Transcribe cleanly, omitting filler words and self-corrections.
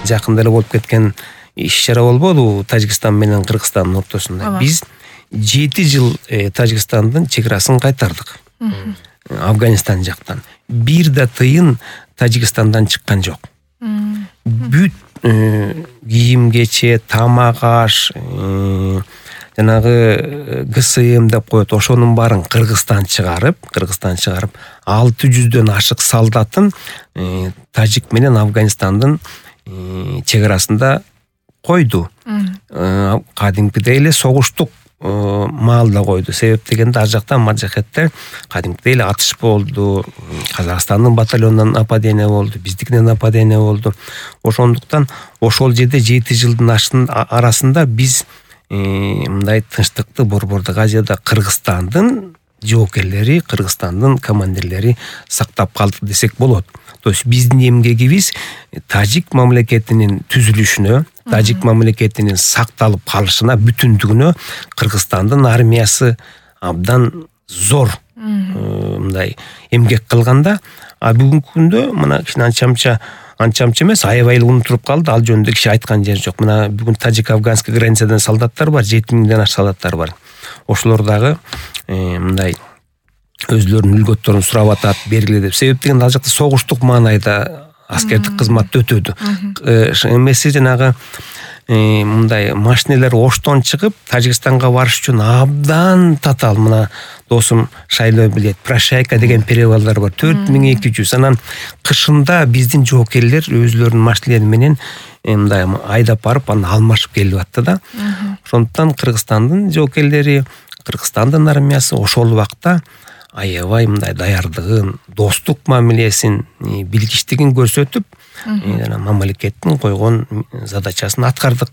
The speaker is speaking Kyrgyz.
жакында эле болуп кеткен иш-чара болбодубу Тажикстан менен Кыргызстандын ортосунда. Биз 7 жыл Тажикстандын чек арасын кайтардык. Афганистан жактан. Бир да тыйын Тажикстандан чыккан жок. Бүт кийим-кече, тамак-аш, жанагы ГСМ деп коет, ошонун баарын Кыргызстан чыгарып, 600дөн ашык солдатын Тажик менен Афганистандын чек арасында койду. Кадимкидей эле согуштук маалда койду. Себеп дегенде ар жакта маджахеттер кадимкидей эле атыш болду. Казакстандын батальонунан нападение болду, биздикинен нападение болду. Ошондуктан ошол жерде 7 жылдын арасында биз мындай тынчтыкты Борбордук Азияда Кыргызстандын жоокерлери, Кыргызстандын командирлери сактап калды десек болот. То есть биздин эмгегибиз тажик мамлекетинин түзүлүшүнө, тажик мамлекетинин сакталып калышына, бүтүндүгүнө Кыргызстандын армиясы абдан зор мындай эмгек кылганда, а бүгүнкү күндө мына кичине анча эмес, аябай эле унутулуп калды. Ал жөнүндө киши айткан жери жок. Мына бүгүн тажик-афганский границадан солдаттар бар, 7000ден ашык солдаттар бар. Ошолор дагы мындай өзлөрүнүн үлгөттөрүн сурап атат, бергиле деп. Себеп дегенде ал жакта согуштук маанайда аскердик кызматты өтөдү. Эмеси жанагы мындай машинелер Оштон чыгып Тажикстанга барыш үчүн абдан татаал. Мына досум Шайлоо билет, Прощайка деген перевалдар бар, 4200. Анан кышында биздин жоокерлер өзлөрүнүн машинелери менен мындай айдап барып аны алмашып келип атты да. Ошондуктан Кыргызстандын жоокерлери, Кыргызстандын армиясы ошол убакта аябай мындай даярдыгын, достук мамилесин, билгичтигин көрсөтүп, мамлекеттин койгон задачасын аткардык.